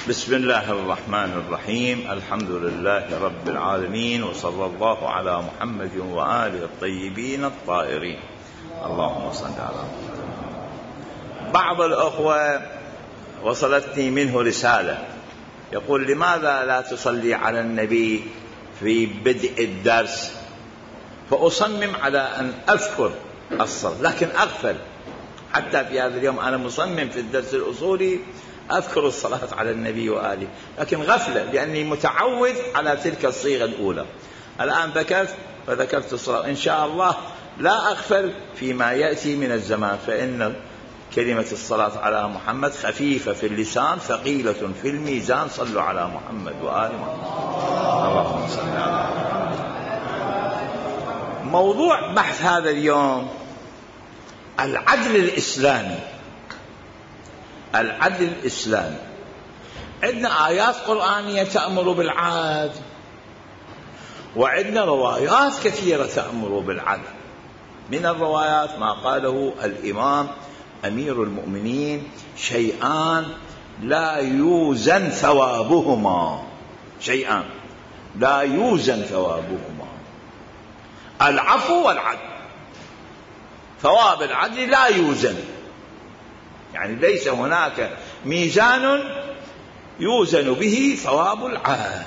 بسم الله الرحمن الرحيم. الحمد لله رب العالمين، وصلى الله على محمد وآله الطيبين الطاهرين. اللهم صل على محمد. بعض الأخوة وصلتني منه رسالة يقول: لماذا لا تصلي على النبي في بدء الدرس؟ فأصمم على أن أذكر الصلاة لكن أغفل. حتى في هذا اليوم أنا مصمم في الدرس الأصولي أذكر الصلاة على النبي وآله، لكن غفلة لأني متعود على تلك الصيغة الأولى. الآن فذكرت الصلاة، إن شاء الله لا أغفل فيما يأتي من الزمان، فإن كلمة الصلاة على محمد خفيفة في اللسان ثقيلة في الميزان. صلوا على محمد وآل محمد. اللهم صل على محمد. موضوع بحث هذا اليوم العدل الإسلامي. العدل الإسلامي، عندنا آيات قرآنية تأمر بالعدل، وعندنا روايات كثيرة تأمر بالعدل. من الروايات ما قاله الإمام أمير المؤمنين: شيئان لا يوزن ثوابهما، شيئان لا يوزن ثوابهما، العفو والعدل. ثواب العدل لا يوزن، يعني ليس هناك ميزان يوزن به ثواب العدل.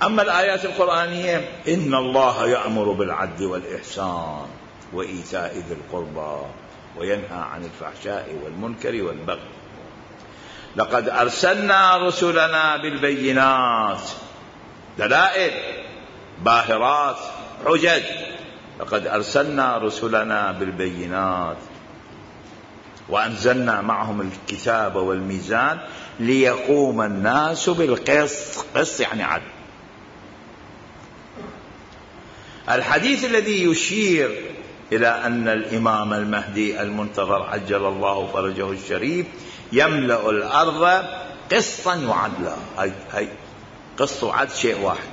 أما الآيات القرآنية: إن الله يأمر بالعدل والإحسان وإيتاء ذي القربى وينهى عن الفحشاء والمنكر والبغي. لقد أرسلنا رسلنا بالبينات، دلائل باهرات حجج. لقد أرسلنا رسلنا بالبينات وأنزلنا معهم الكتاب والميزان ليقوم الناس بالقسط. قسط يعني عدل. الحديث الذي يشير إلى أن الإمام المهدي المنتظر عجل الله فرجه الشريف يملأ الأرض قسطا وعدلا. هي قسط وعدل شيء واحد،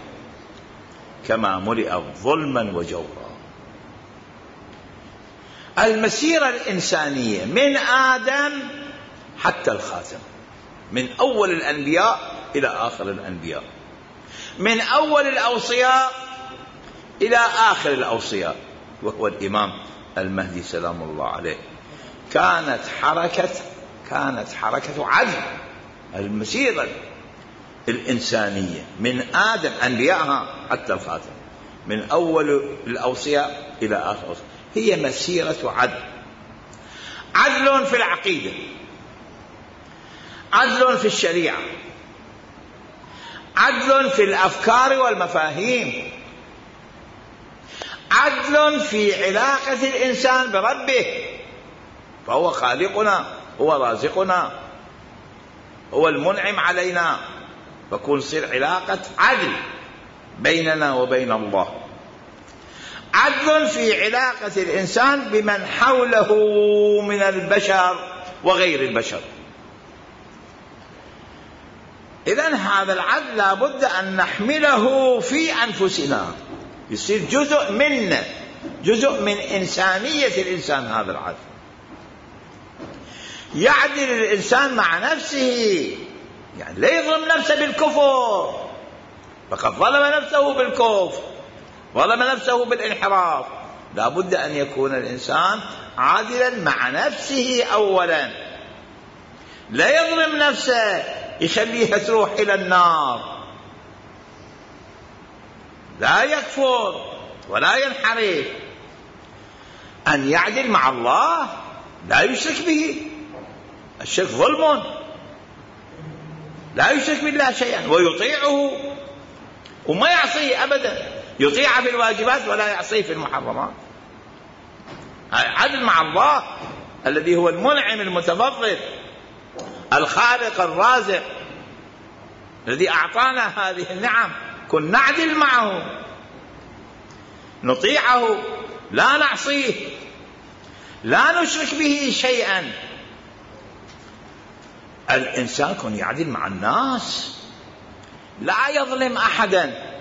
كما ملئت ظلما وجورا. المسيرة الإنسانية من آدم حتى الخاتم، من أول الأنبياء إلى آخر الأنبياء، من أول الأوصياء إلى آخر الأوصياء، وهو الإمام المهدي سلام الله عليه، كانت حركة عدل. المسيرة الإنسانية من آدم أنبيائها حتى الخاتم، من أول الأوصياء إلى آخر الأوصياء، هي مسيرة عدل. عدل في العقيدة، عدل في الشريعة، عدل في الأفكار والمفاهيم، عدل في علاقة الإنسان بربه، فهو خالقنا، هو رازقنا، هو المنعم علينا، فكون تصير علاقة عدل بيننا وبين الله. عدل في علاقة الإنسان بمن حوله من البشر وغير البشر. إذن هذا العدل لابد أن نحمله في أنفسنا، يصير جزء منا، جزء من إنسانية الإنسان. هذا العدل يعدل الإنسان مع نفسه، يعني لا يظلم نفسه بالكفر، فقد ظلم نفسه بالكفر، ظلم نفسه بالانحراف. لا بد أن يكون الإنسان عادلا مع نفسه أولا، لا يظلم نفسه يخليها تروح إلى النار، لا يكفر ولا ينحرف. أن يعدل مع الله، لا يشرك به، الشرك ظلم، لا يشرك بالله شيئا، ويطيعه وما يعصيه أبدا، يطيع في الواجبات ولا يعصيه في المحرمات. عدل مع الله الذي هو المنعم المتفضل الخالق الرازق الذي أعطانا هذه النعم. كن نعدل معه، نطيعه، لا نعصيه، لا نشرك به شيئا. الإنسان كن يعدل مع الناس، لا يظلم أحدا.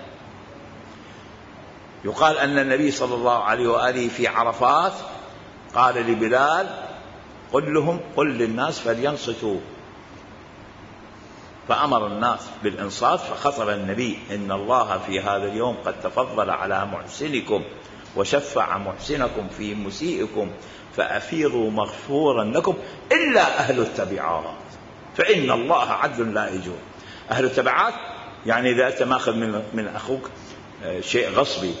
يقال أن النبي صلى الله عليه وآله في عرفات قال لبلال: قل للناس فلينصتوا فأمر الناس بالإنصات، فخطب النبي: إن الله في هذا اليوم قد تفضل على محسنكم وشفع محسنكم في مسيئكم، فأفيضوا مغفورا لكم إلا أهل التبعات فإن الله عدل لا يجور. أهل التبعات يعني إذا أنت ماخذ من أخوك شيء غصبي،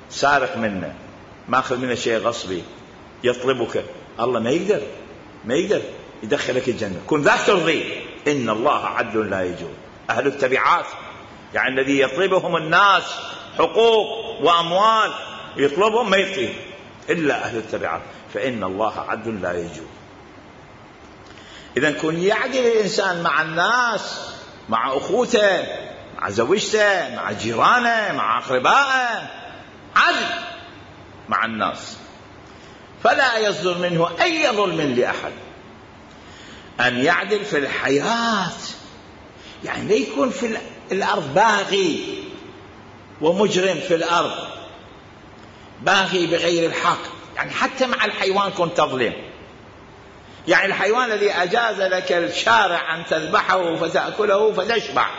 سارق منه، ماخذ منه شيء غصبي، يطلبك، الله ما يقدر يدخلك الجنة، كن ذاك ترضيه. إن الله عدل لا يجور. أهل التبعات يعني الذي يطلبهم الناس حقوق وأموال، يطلبهم ما يطيب، إلا أهل التبعات فإن الله عدل لا يجور. إذن كن يعدل الإنسان مع الناس، مع أخوته، مع زوجته، مع جيرانه، مع أقربائه، عدل مع الناس، فلا يصدر منه أي ظلم لأحد. أن يعدل في الحياة، يعني لا يكون في الأرض باغي ومجرم في الأرض، باغي بغير الحق. يعني حتى مع الحيوان كنت تظلم، يعني الحيوان الذي أجاز لك الشارع أن تذبحه فتأكله فتشبع،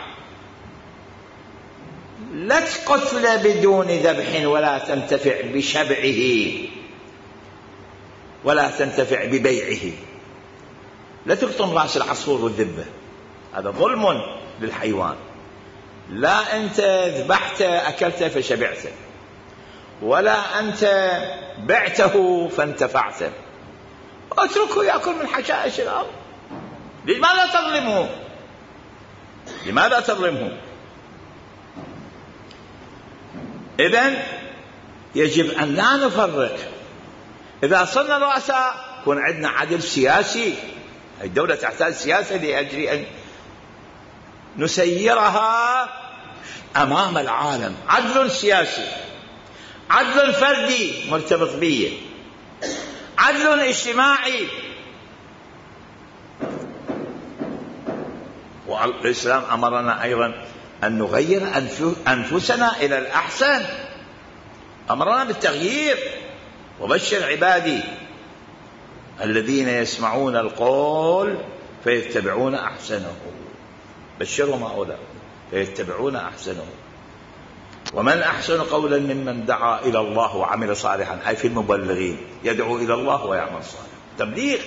لا تقتل بدون ذبح ولا تنتفع بشبعه ولا تنتفع ببيعه. لا تقطم رأس العصفور والذبة، هذا ظلم للحيوان. لا أنت ذبحته أكلته فشبعته، ولا أنت بعته فانتفعته، اتركه يأكل من حشائش الأرض. لماذا تظلمه؟ إذن يجب أن لا نفرق. إذا صرنا رؤساء يكون عندنا عدل سياسي. الدولة تحتاج سياسة لأجل أن نسيرها أمام العالم. عدل سياسي، عدل فردي مرتبط بيه، عدل اجتماعي. والإسلام أمرنا أيضا أن نغير أنفسنا إلى الأحسن، أمرنا بالتغيير. وبشر عبادي الذين يسمعون القول فيتبعون أحسنه، بشرهم هؤلاء فيتبعون أحسنه. ومن أحسن قولا ممن دعا إلى الله وعمل صالحا، أي في المبلغين، يدعو إلى الله ويعمل صالحا، تبليغ.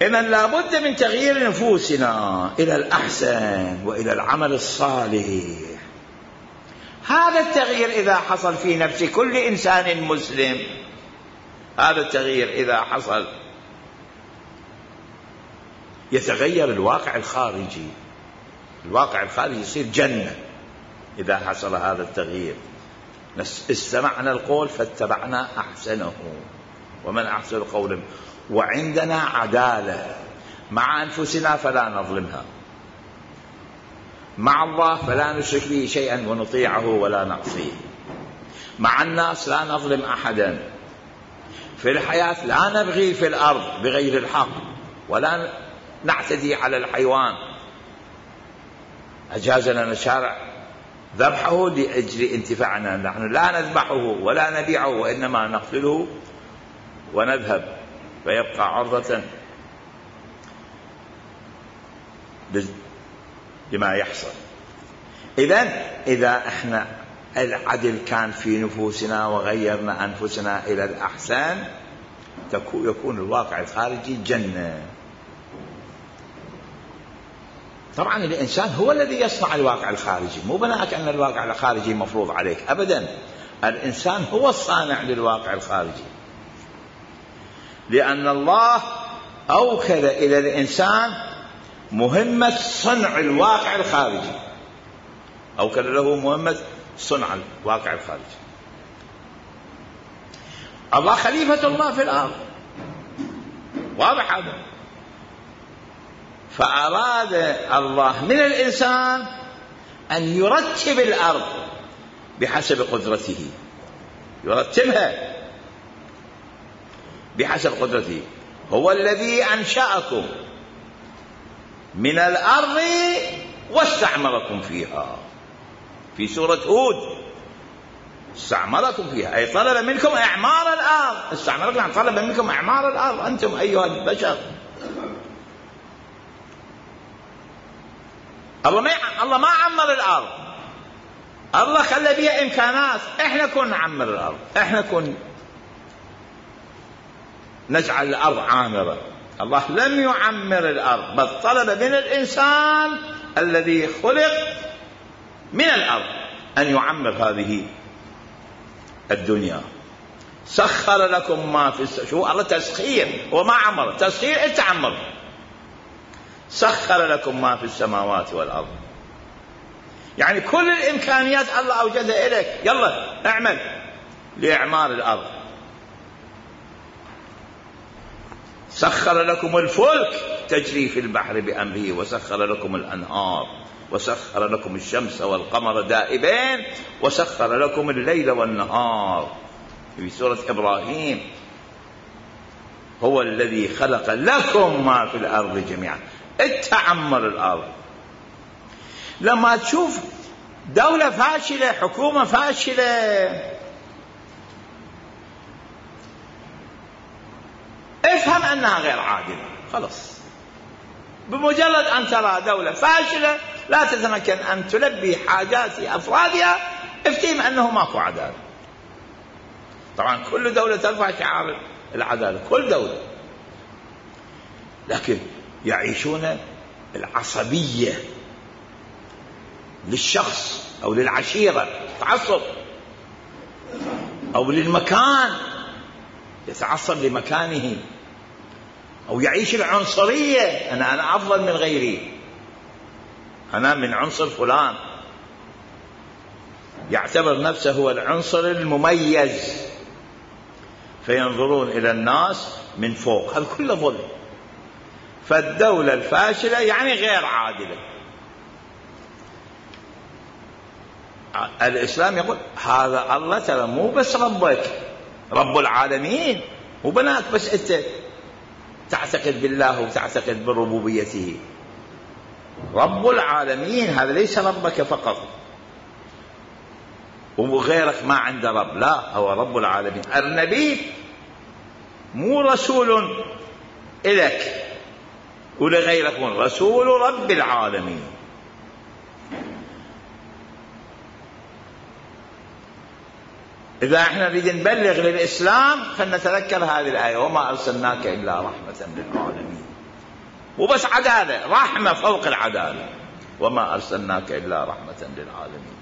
إذن لا بد من تغيير نفوسنا إلى الأحسن وإلى العمل الصالح. هذا التغيير إذا حصل في نفس كل إنسان مسلم، هذا التغيير إذا حصل يتغير الواقع الخارجي. الواقع الخارجي يصير جنة إذا حصل هذا التغيير. استمعنا القول فاتبعنا أحسنه. ومن أحسن قولا، وعندنا عدالة مع أنفسنا فلا نظلمها، مع الله فلا نشرك به شيئا ونطيعه ولا نعصيه، مع الناس لا نظلم أحدا، في الحياة لا نبغي في الأرض بغير الحق ولا نعتدي على الحيوان. أجاز لنا الشارع ذبحه لأجل انتفاعنا، نحن لا نذبحه ولا نبيعه، وإنما نقتله ونذهب فيبقى عرضة لما يحصل. إذا احنا العدل كان في نفوسنا وغيرنا أنفسنا إلى الأحسن، يكون الواقع الخارجي جنة. طبعا الإنسان هو الذي يصنع الواقع الخارجي، مو بناءك أن الواقع الخارجي مفروض عليك أبدا. الإنسان هو الصانع للواقع الخارجي، لأن الله أوكل إلى الإنسان مهمة صنع الواقع الخارجي، أوكل له مهمة صنع الواقع الخارجي. الله خليفة الله في الأرض، واضح هذا. فأراد الله من الإنسان أن يرتب الأرض بحسب قدرته، يرتبها بحسب قدرته. هو الذي أنشأكم من الأرض واستعمركم فيها، في سورة هود استعمركم فيها، أي طلب منكم إعمار الأرض. استعمركم يعني طلب منكم إعمار الأرض، أنتم أيها البشر. الله ما عمر الأرض، الله خلى بيها إمكانات. إحنا كنا نعمر الأرض، إحنا كنا نجعل الأرض عامرة. الله لم يعمر الأرض، بل طلب من الإنسان الذي خلق من الأرض أن يعمر هذه الدنيا. سخر لكم ما في شو الله تسخير وما عمر، تسخير أنت عمر. سخر لكم ما في السماوات والأرض، يعني كل الإمكانيات الله أوجدها إليك، يلا اعمل لإعمار الأرض. سخر لكم الفلك تجري في البحر بأمره، وسخر لكم الأنهار، وسخر لكم الشمس والقمر دائبين، وسخر لكم الليل والنهار. في سورة إبراهيم: هو الذي خلق لكم ما في الأرض جميعا. اتعمر الأرض. لما تشوف دولة فاشلة، حكومة فاشلة، افهم أنها غير عادلة. خلاص، بمجرد أن ترى دولة فاشلة لا تتمكن أن تلبي حاجات أفرادها، افتهم أنه ماكو عدالة. طبعا كل دولة ترفع شعار العدالة، كل دولة، لكن يعيشون العصبية للشخص أو للعشيرة، تعصب، أو للمكان، يتعصب لمكانه، أو يعيش العنصرية، أنا أفضل من غيري، أنا من عنصر فلان، يعتبر نفسه هو العنصر المميز، فينظرون إلى الناس من فوق. هذا كله ظلم. فالدولة الفاشلة يعني غير عادلة. الإسلام يقول هذا الله ترى مو بس ربك، رب العالمين، مو بناك بس أنت تعتقد بالله وتعتقد بربوبيته. رب العالمين هذا ليس ربك فقط وغيرك ما عنده رب، لا، هو رب العالمين. النبي مو رسول إليك ولغيرك، رسول رب العالمين. إذا احنا نريد نبلغ للإسلام فلنتذكر هذه الآية: وما أرسلناك إلا رحمة للعالمين. وبس عدالة، رحمة فوق العدالة. وما أرسلناك إلا رحمة للعالمين.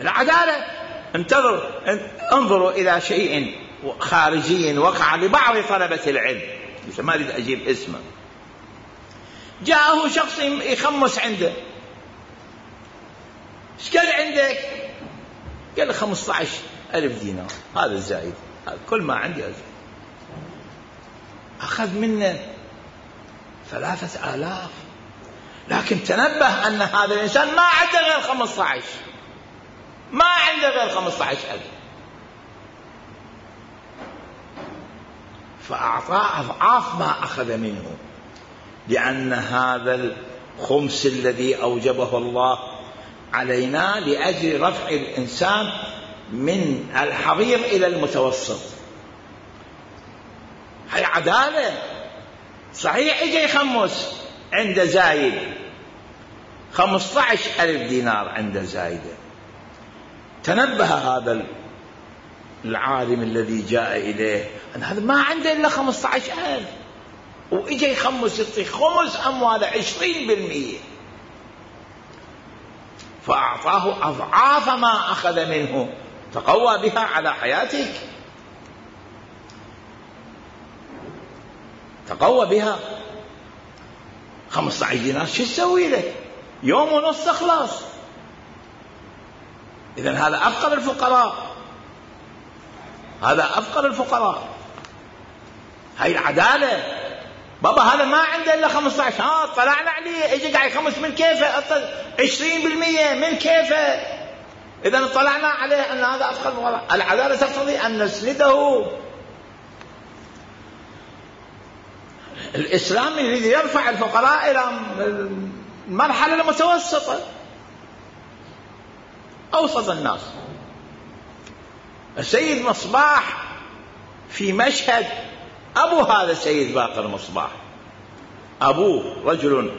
العدالة، انظروا إلى شيء خارجي وقع لبعض طلبة العلم، ما أريد أجيب اسمه. جاءه شخص يخمس عنده: ايش قال عندك؟ قال له 15,000 دينار، هذا الزايد، هذا كل ما عندي أزيد. أخذ منه 3,000، لكن تنبه أن هذا الإنسان ما عنده غير 15، ما عنده غير 15,000، فأعطاه أضعاف ما أخذ منه، لأن هذا الخمس الذي أوجبه الله علينا لأجل رفع الإنسان من الحضير إلى المتوسط. هي عدالة. صحيح إجا يخمس عند زايد 15,000 دينار عند زايدة، تنبه هذا العالم الذي جاء إليه أن هذا ما عنده إلا 15,000، وإجا يخمس، يعطي خمس أمواله 20%، فأعطاه أضعاف ما أخذ منه، تقوى بها على حياتك، تقوى بها. 15 دينار شو تسوي لك؟ يوم ونص تخلص. إذن هذا أفقر الفقراء، هذا أفقر الفقراء. هاي العدالة. بابا هذا ما عنده إلا 15، طلعنا عليه، إجي قاعد يخمس، من كيفه 20%، من كيفه؟ إذن طلعنا عليه أن هذا أفقر الفقراء. العدالة تقتضي أن نسنده. الإسلام يريد يرفع الفقراء إلى المرحلة المتوسطة، أوسط الناس. السيد مصباح في مشهد، أبو هذا السيد باقر مصباح، أبوه رجل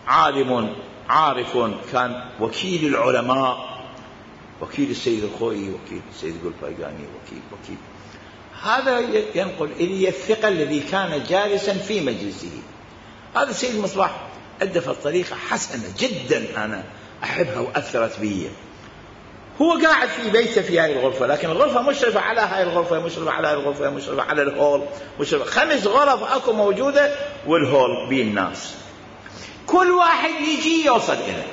عالم عارف، كان وكيل العلماء، وكيل السيد الخوئي، وكيل السيد القلفاقاني، وكيل هذا ينقل إلي الثقة الذي كان جالسا في مجلسه. هذا السيد مصباح أدى في الطريقة حسنة جدا أنا أحبها وأثرت بي. هو قاعد في بيته في هاي الغرفة، لكن الغرفة مشرفة على هاي الغرفة، مشرفة على هاي الغرفة، مشرفة على الهول، مشرفة 5 غرف أكو موجودة، والهول بين الناس. كل واحد يجي يوصل إليه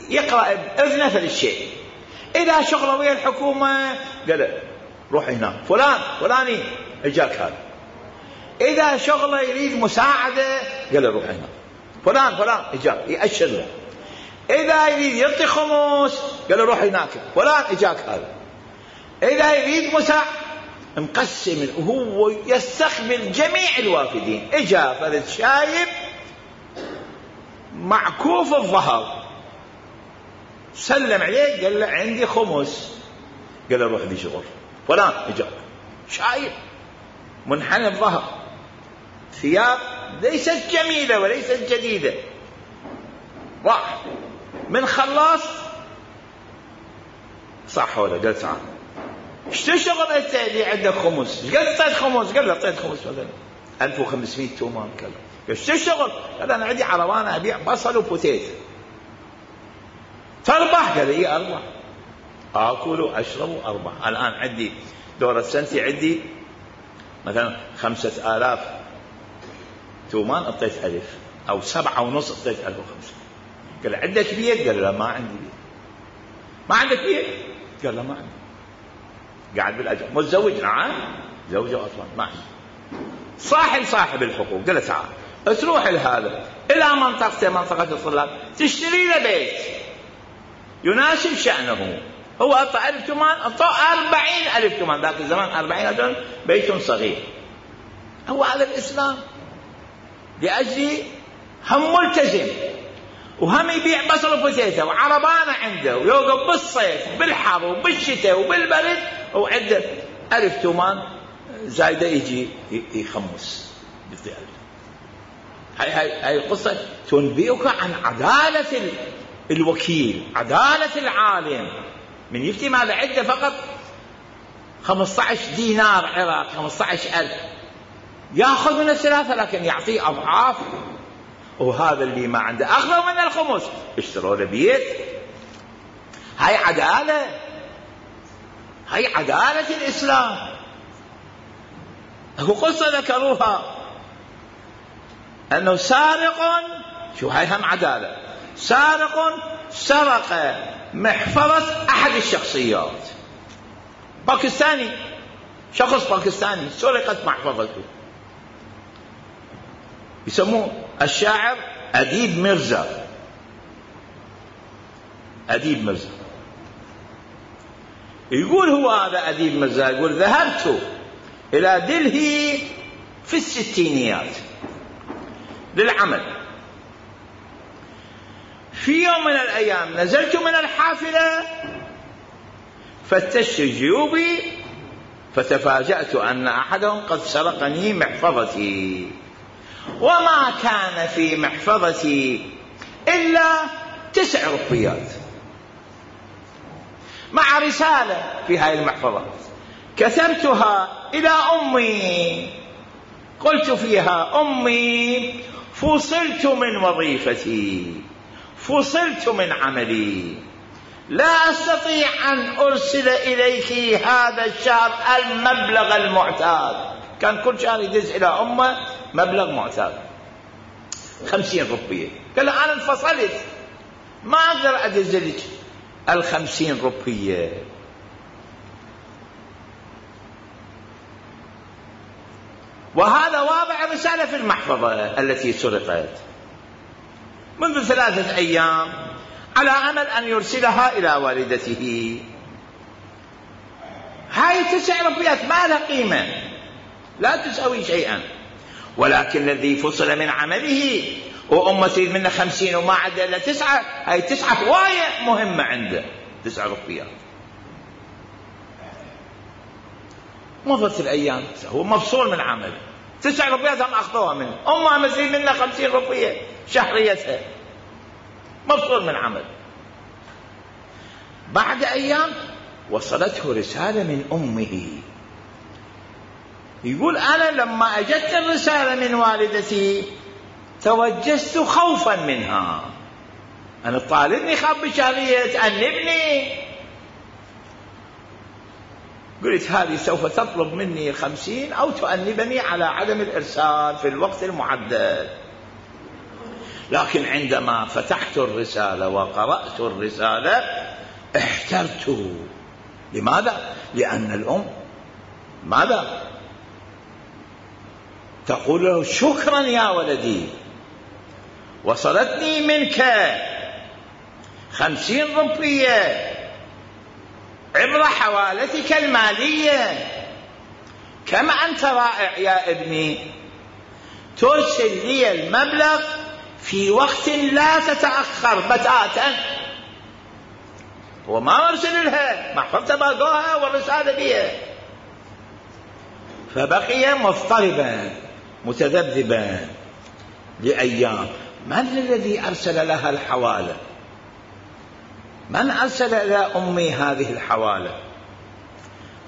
يقرأ بإذنه في الشيء. إذا شغله ويا الحكومة قال له روح هنا، فلاني اجاك هذا. إذا شغله يريد مساعدة قال له روح هنا، فلان اجاك، يأشر له. إذا يريد يعطي خمس قال له روح هناك، فلان اجاك هذا. إذا يريد مساعدة مقسم، وهو يستقبل جميع الوافدين. اجا فرد شايب معكوف الظهر، سلم عليه قال له عندي خمس، قال له روح لي شغل. فلان اجا شايب منحنى الظهر، ثياب ليست جميلة وليست جديدة، راح من خلاص صح ولا قال تعال ايش تشتغل انت اللي عندك خمس؟ ايش قد اعطيت خمس؟ قال له اعطيت خمس مثلا 1500 تومان. قال ايش تشتغل؟ قال انا عندي عربانه ابيع بصل وبوتيت. تربح؟ قال اي اربح، اكل واشرب واربح. الان عندي دورة سنتي عندي مثلا 5000 تومان، اعطيت 1000 او 7.5 اعطيت 1500. قال عندك بيت؟ قال لا ما عندي بيت. ما عندك بيت؟ قال لا ما عندي. قاعد بالاجر. متزوج؟ نعم زوجه اصلا ما عندي. صاحب الحقوق قال له تعال تروح لهذا الى منطقه الطلاب تشتري له بيت يناسب شأنه. هو أعطى 1000 تومان، أعطى 40,000 تومان. ذاك الزمان 40,000 بيت صغير. هو هذا الإسلام لأجل هم ملتزم، وهم يبيع بصل وبوتيتا وعربانة عنده، ويوقف بالصيف بالحر وبالشتاء وبالبرد، وعنده 1000 تومان زايدة يجي يخمس يعطي 1000. هاي القصة تنبئك عن عدالة الوكيل، عدالة العالم. من يفتي ماذا عنده فقط 15 دينار عراق، 15,000 يأخذ من الثلاثة، لكن يعطيه أضعاف. وهذا اللي ما عنده أخذوا من الخمس اشتروا له بيت. هاي عدالة، هاي عدالة الإسلام. هو قصة ذكروها أنه سارق، شو هاي هم عدالة، سارق سرق محفظة أحد الشخصيات، باكستاني، شخص باكستاني سرقت محفظته. يسموه الشاعر أديب مرزا. أديب مرزا يقول، هو هذا أديب مرزا يقول ذهبت إلى دلهي في الستينيات للعمل. في يوم من الأيام نزلت من الحافلة فتشت جيوبي فتفاجأت أن أحدهم قد سرقني محفظتي، وما كان في محفظتي إلا 9 روبيات مع رسالة في هذه المحفظة كتبتها إلى أمي، قلت فيها: أمي، فصلت من وظيفتي، فصلت من عملي، لا أستطيع أن أرسل إليك هذا الشهر المبلغ المعتاد. كان كل شهر يدز إلى أمه مبلغ معتاد 50 روبية. قال له أنا انفصلت، ما أقدر أدز لك 50 روبية. وهذا واضع رسالة في المحفظة التي سرقت منذ 3 أيام على أمل أن يرسلها إلى والدته. هاي 9 روبيات ما لها قيمة، لا تساوي شيئا، ولكن الذي فصل من عمله وأمه تريد منه 50 وما عنده إلا 9، هاي 9 هواية مهمة عنده، 9 روبيات. مضت الأيام، هو مفصول من عمله، 9 ربيات هم أخذوها منه، أمها مزيد منها 50 ربية شهريتها، مفصول من عمل. بعد أيام وصلته رسالة من أمه، يقول أنا لما أجت الرسالة من والدتي توجست خوفا منها، أنا طالبني خاب بشهرية تأنبني، قلت هذه سوف تطلب مني 50 أو تؤنبني على عدم الإرسال في الوقت المعدل. لكن عندما فتحت الرسالة وقرأت الرسالة احترت. لماذا؟ لأن الأم ماذا تقول له؟ شكرا يا ولدي، وصلتني منك 50 ربية عبر حوالتك المالية، كما أنت رائع يا ابني، ترسل لي المبلغ في وقت لا تتأخر بتاتا. وما أرسل لها، ما حفظت باقوها والرسالة بيها. فبقي مضطربا متذبذبا لأيام. من الذي أرسل لها الحوالة؟ من أرسل إلى أمي هذه الحوالة؟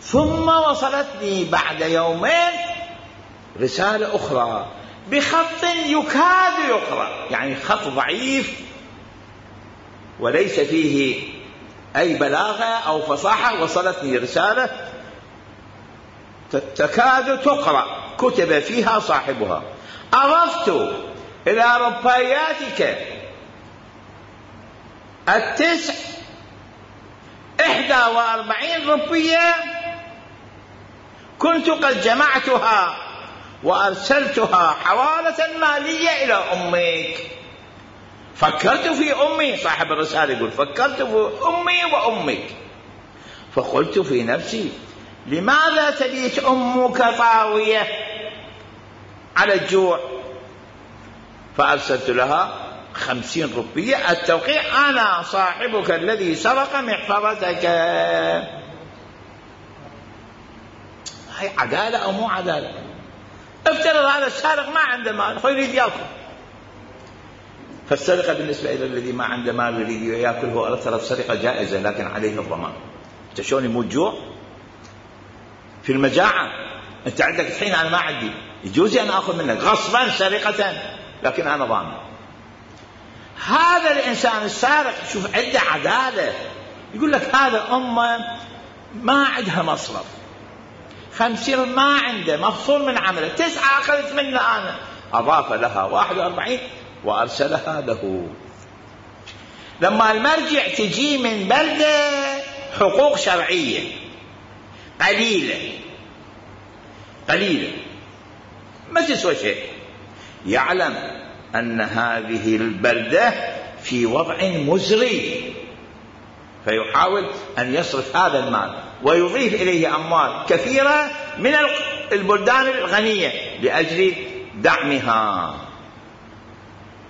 ثم وصلتني بعد يومين رسالة أخرى بخط يكاد يقرأ، يعني خط ضعيف وليس فيه أي بلاغة أو فصاحة. وصلتني رسالة تكاد تقرأ، كتب فيها صاحبها: أضفت إلى رباياتك 41 ربية كنت قد جمعتها وأرسلتها حوالة مالية إلى أمك. فكرت في أمي، صاحب الرسالة يقول فكرت في أمي وأمك، فقلت في نفسي لماذا تبيت أمك طاوية على الجوع؟ فأرسلت لها 50 ربية التوقيع: أنا صاحبك الذي سرق محفظتك. هي عدالة أو مو عدالة؟ افترض هذا السارق ما عنده مال يريد يأكل، فالسرقة بالنسبة إلى الذي ما عنده مال يريد يأكل هو أرسل سرقة جائزة لكن عليه الضمان. أنت شلون يموت جوع في المجاعة؟ أنت عندك الحين أنا ما عندي، يجوز أن أخذ منك غصبا سرقة لكن أنا ضامن. هذا الإنسان السارق شوف عنده عدالة، يقول لك هذا أمه ما عندها مصرف، 50 ما عنده، مفصول من عمله، 9 أخذت منه أنا، أضاف لها 41 وأرسلها له. لما المرجع تجي من بلدة حقوق شرعية قليلة ما تسوى شيء، يعلم أن هذه البلدة في وضع مزري، فيحاول أن يصرف هذا المال ويضيف إليه أموال كثيرة من البلدان الغنية لأجل دعمها،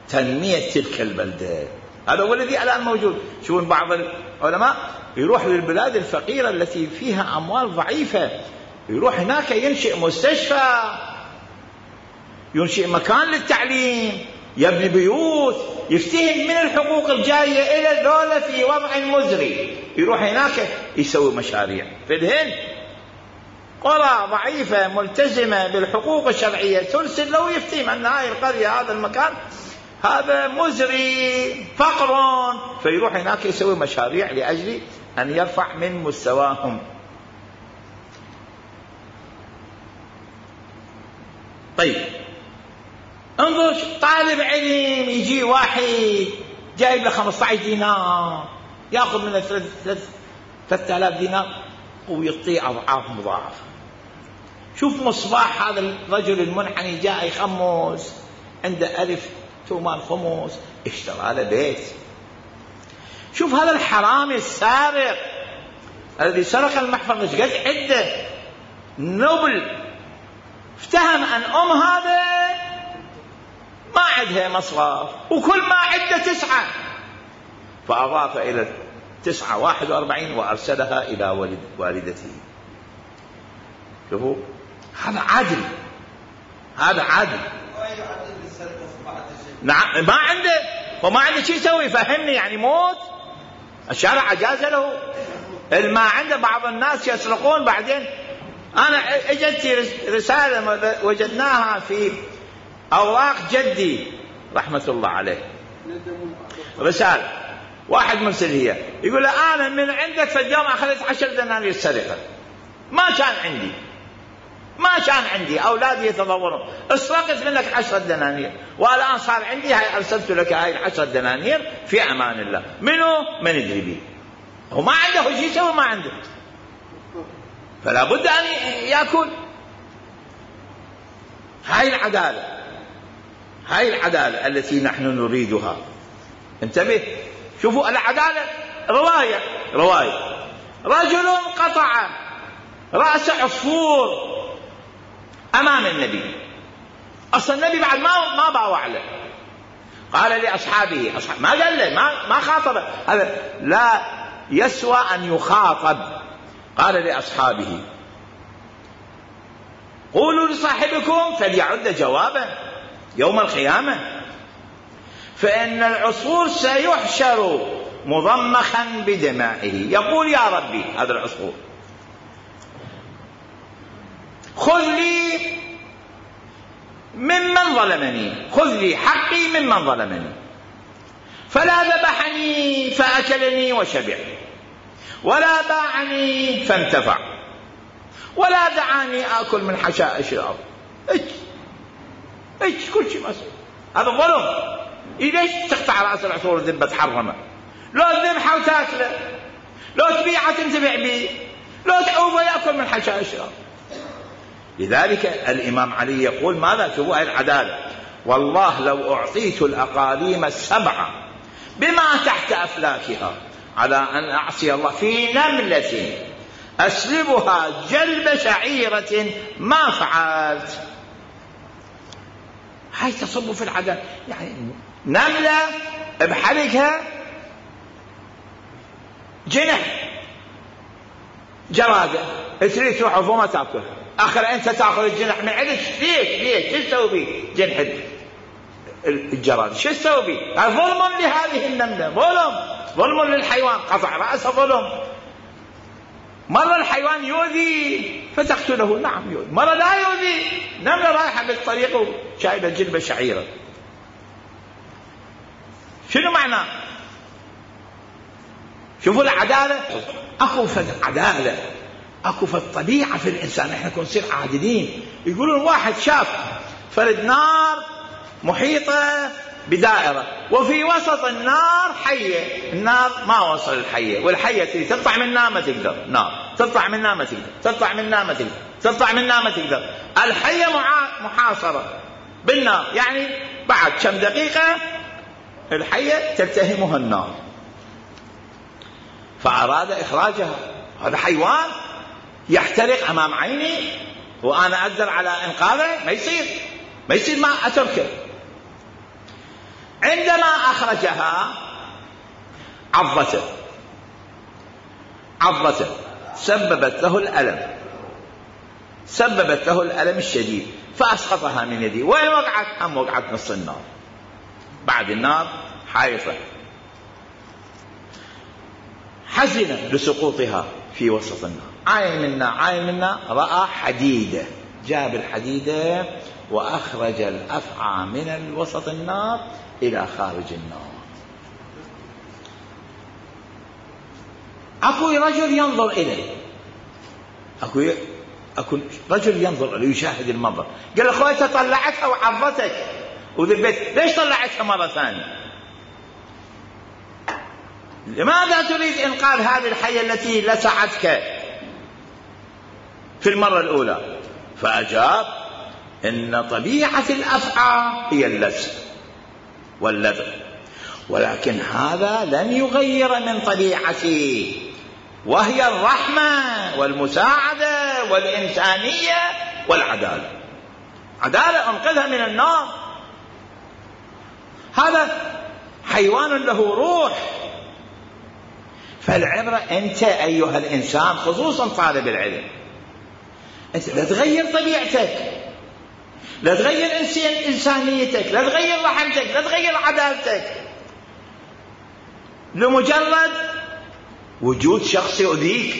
تنمية تلك البلدة. هذا هو الذي الآن موجود. شوفون بعض العلماء يروح للبلاد الفقيرة التي فيها أموال ضعيفة، يروح هناك ينشئ مستشفى، ينشئ مكان للتعليم، يبني بيوت، يفتهم من الحقوق الجاية إلى الدولة في وضع مزري، يروح هناك يسوي مشاريع. في الهند قرى ضعيفة ملتزمة بالحقوق الشرعية ترسل له يفتهم أن هذه القرية هذا المكان هذا مزري فقر، فيروح هناك يسوي مشاريع لأجل أن يرفع من مستواهم. طيب انظر، طالب علم يجي واحد جايب له 15 دينار ياخذ منه 3000 دينار ويعطيه أضعاف مضاعفة. شوف مصباح هذا الرجل المنحني جاء يخمس، عنده 1000 تومان خمس، اشترى له بيت. شوف هذا الحرامي السارق الذي سرق المحفظة ايش قد عنده نوبل، افتهم أن هذا ما عندها مصرف وكل ما عنده 9، فأضاف إلى 9 41 وأرسلها إلى والدته. شوفوا هذا عدل. هذا عادل. نعم ما عنده، وما عنده شيء يسوي. فهمني يعني موت الشرع أجاز له. ما عنده بعض الناس يسرقون بعدين. أنا اجتني رسالة وجدناها في أوراق جدي رحمة الله عليه، رسالة واحد مرسل هي يقول أنا من عندك في اليوم أخذت 10 دنانير سرقة، ما كان عندي أولادي يتضورون، اسرقت منك 10 دنانير والآن صار عندي، هاي أرسلت لك هاي 10 دنانير في أمان الله. منو؟ من ندري بيه. هو ما عنده شيء يسوي، ما عنده، فلا بد أن يأكل. هاي العدالة التي نحن نريدها. انتبه، شوفوا العدالة. رواية رجل قطع رأس عصفور أمام النبي. أصلا النبي بعد ما باوع له، قال لأصحابه، ما قال له، ما خاطبه، هذا لا يسوى أن يخاطب. قال لأصحابه قولوا لصاحبكم فليعد جوابا يوم القيامة، فإن العصفور سيحشر مضمخا بدمائه، يقول يا ربي هذا العصفور خذ لي ممن ظلمني، خذ لي حقي ممن ظلمني، فلا ذبحني فأكلني وشبع، ولا باعني فانتفع، ولا دعاني آكل من حشائش الأرض. كل شيء مسؤول. هذا ظلم. ليش تقطع رأس العصفور وذبه تحرمه؟ لو تذبحه وتاكله، لو تبيعه تنتفع به، لو تعوفه يأكل من حشائش الأرض. لذلك الإمام علي يقول ماذا؟ شوفوا هذه العدالة. والله لو أعطيت الأقاليم 7 بما تحت أفلاكها على أن أعصي الله في نملة أسلبها جلب شعيرة ما فعلت. هاي تصب في العدالة. يعني نملة بحلقها جنح جرادة، تريد تروح وما تأكلها، آخر أنت تأخذ الجنح من عندك. ليش شو تسوي به جنح الجرادة؟ شو تسوي به؟ ظلم لهذه النملة، ظلم للحيوان، قطع رأسه ظلم. مرة الحيوان يؤذي فتقتله، نعم يؤذي، مرة لا يؤذي، نملة رايحة بالطريق وشايلة جلبة شعيرة. شنو معنى؟ شوفوا العدالة. أكو في العدالة، أكو في الطبيعة في الإنسان. إحنا كنا نصير عادلين. يقولون واحد شاف فرد نار محيطة بدائرة وفي وسط النار حية، النار ما وصل الحية، والحية تريد تطلع منها ما تقدر، نار تطلع منها ما تقدر، تطلع منها ما تقدر، تطلع منها ما تقدر. الحية محاصرة بالنار، يعني بعد كم دقيقة الحية تلتهمها النار، فأراد إخراجها. هذا حيوان يحترق أمام عيني وأنا أقدر على إنقاذه؟ ما يصير ما أتركه. عندما أخرجها عضته سببت له الألم الشديد، فأسقطها من يدي. وين وقعت؟ وقعت نص النار، بعد النار حائطة. حزن لسقوطها في وسط النار. عاين منا رأى حديدة، جاب الحديدة وأخرج الأفعى من وسط النار إلى خارج النار. أكو رجل ينظر إليه، أكو رجل ينظر إليه يشاهد المنظر. قال له أخوي طلعتها وعضتك وذبت، ليش طلعتها مرة ثانية؟ لماذا تريد إنقاذ هذه الحية التي لسعتك في المرة الأولى؟ فأجاب إن طبيعة الأفعى هي اللسع واللذع، ولكن هذا لن يغير من طبيعتي، وهي الرحمة والمساعدة والإنسانية والعدالة. عدالة أنقذها من النار. هذا حيوان له روح. فالعبرة أنت أيها الإنسان، خصوصا طالب العلم، أنت لا تغير طبيعتك. لا تغير إنسانيتك، لا تغير رحمتك، لا تغير عدالتك، لمجرد وجود شخص يؤذيك.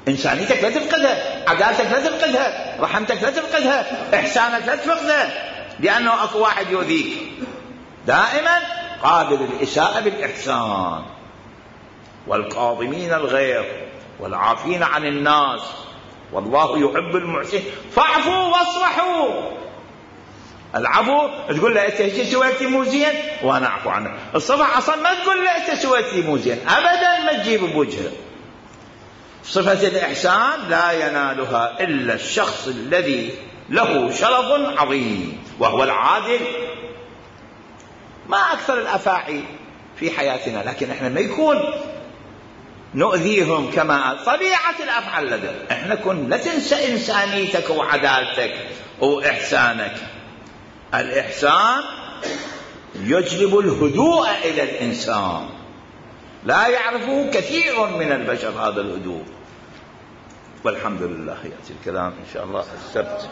إنسانيتك لا تفقدها، عدالتك لا تفقدها، رحمتك لا تفقدها، إحسانك لا تفقدها، لأنه أكو واحد يؤذيك. دائما قابل الإساءة بالإحسان، والكاظمين الغيظ والعافين عن الناس والله يحب المحسنين، فاعفوا واصفحوا. العفو تقول له انت سويت لي مو زين وانا اعفو عنك. الصفح اصلا ما تقول له انت سويت لي مو زين ابدا، ما تجيب بوجهه. صفة الإحسان لا ينالها إلا الشخص الذي له شرف عظيم وهو العادل. ما أكثر الأفاعي في حياتنا، لكن احنا ما يكون نؤذيهم كما طبيعة الأفعال لدى احنا. كن لا تنسى إنسانيتك وعدالتك وإحسانك. الإحسان يجلب الهدوء إلى الإنسان، لا يعرفه كثير من البشر هذا الهدوء. والحمد لله. يأتي الكلام إن شاء الله السبت.